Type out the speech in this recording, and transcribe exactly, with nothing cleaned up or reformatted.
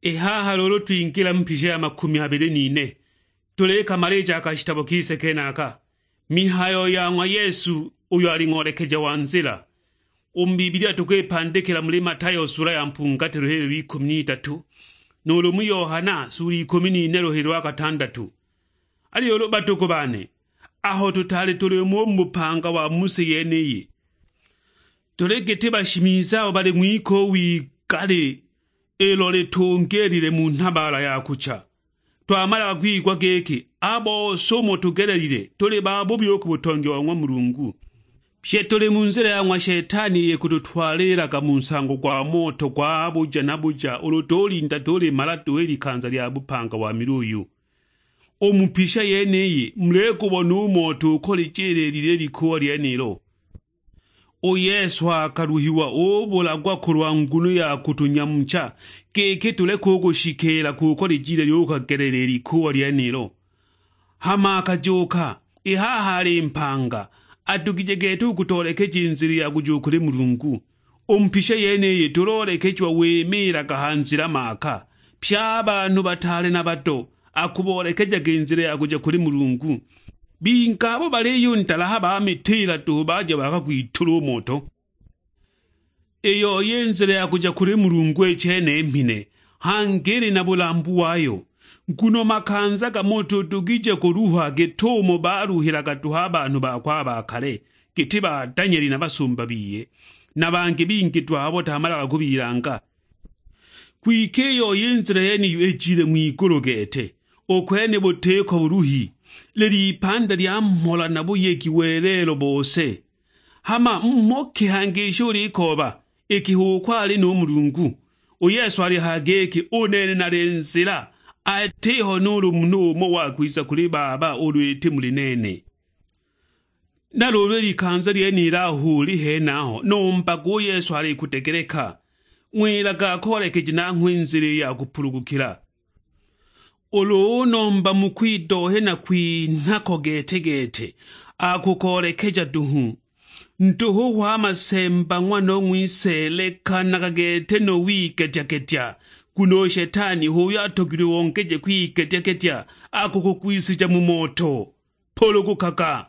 I haha luulu twingila mu mpisha ya makumi abili n'ine, tulikamalija a kashitabo kise kenaka, mihayo ya ng'wa Yesu uyo ali ng'olekeja wa nzila. U mu Bibilia tukwipandikila muli Matayo sula ya mpungatilo hililo ikumi n'itatu, nuulu mu Yohana sula ikumi n'ine luhilo lwa katandatu. Aliyo ulu batuku bane, aho tutaali tuli mo u mu bupanga wa mu si yeniyi, tuli giti bashimiza abo bali ng'wiko w'igali ilo litungiilile mu nhabaala ya kucha. Twamalaga kwigwa giki, a bose umo tugelelile tuli babubi u ku butongi wa ng'wa Mulungu. Pye tuli mu nzila ya ng'wa Shetani iyo ikututwalilaga mu nsango gwa moto gwa buja na buja ulu tulinda tulimala duhu i likanza lya bupanga wa miluyu. U mu pisha yeniyi mulikubona u moto ukolijililile i likuuwa lyenilo. U Yesu akaluhiwa ubulagwa kulwa nguno ya kutunyamucha, giki tuleke u kushikiila kuko lijile lyukagelele i likuuwa lyenilo. Hama akajuuka, i haha ali mpanga, adugije gete u kutoolekeja i nzila ya kuja u kuli Mulungu. U mu pisha yeniyi tuloolekejiwa wimiilaga ha nzila maaka, pye a banhu bataale na bato akuboolekejaga i nzila ya kuja kuli Mulungu. Bingi abo baliyundalaha bamitiila duhu baja bakagwitula u moto. I yoi i nzila ya kuja kuli Mulungu i chene mhine, hangi ili na bulambu wayo, nguno makanza gamo tudugije kuluha git'umo baluhilaga duhu a banhu bakwe a ba kale, giti ba Danieli na basumba biye, na bangi bingi duhu abo tamalaga kubilanga. Kwike i yoi i nzila yeniyo ijile ng'wigulu gete, u kwene butiko buluhi, lili ipanda lya mhola na buyegi welelo bose. Hama mhoke hangi isho ulikooba, iki h'uko ali nu Mulungu. U Yesu alihaya giki, "U nene nali nzila, atiho nuulu munhu umo wakwiza kuli Baba ulu iti muli nene." Na luulu i likanza lyenilo aho uli henaho, nombaga u Yesu alikudegeleka, ng'wilaga akoolekeje nanghwe i nzila i ya kupulugukila. Ulu unomba mu kwidohya na kwinha ko gete-gete, akukoolekeja duhu. Nduhu hwa masemba ng'wano ng'wise, lekanaga gete no wigetya-getya, nguno u Shetani h'uyo atogilwe ongeje kwigetya-getya, akukugwisija mu moto. Pulugukaga,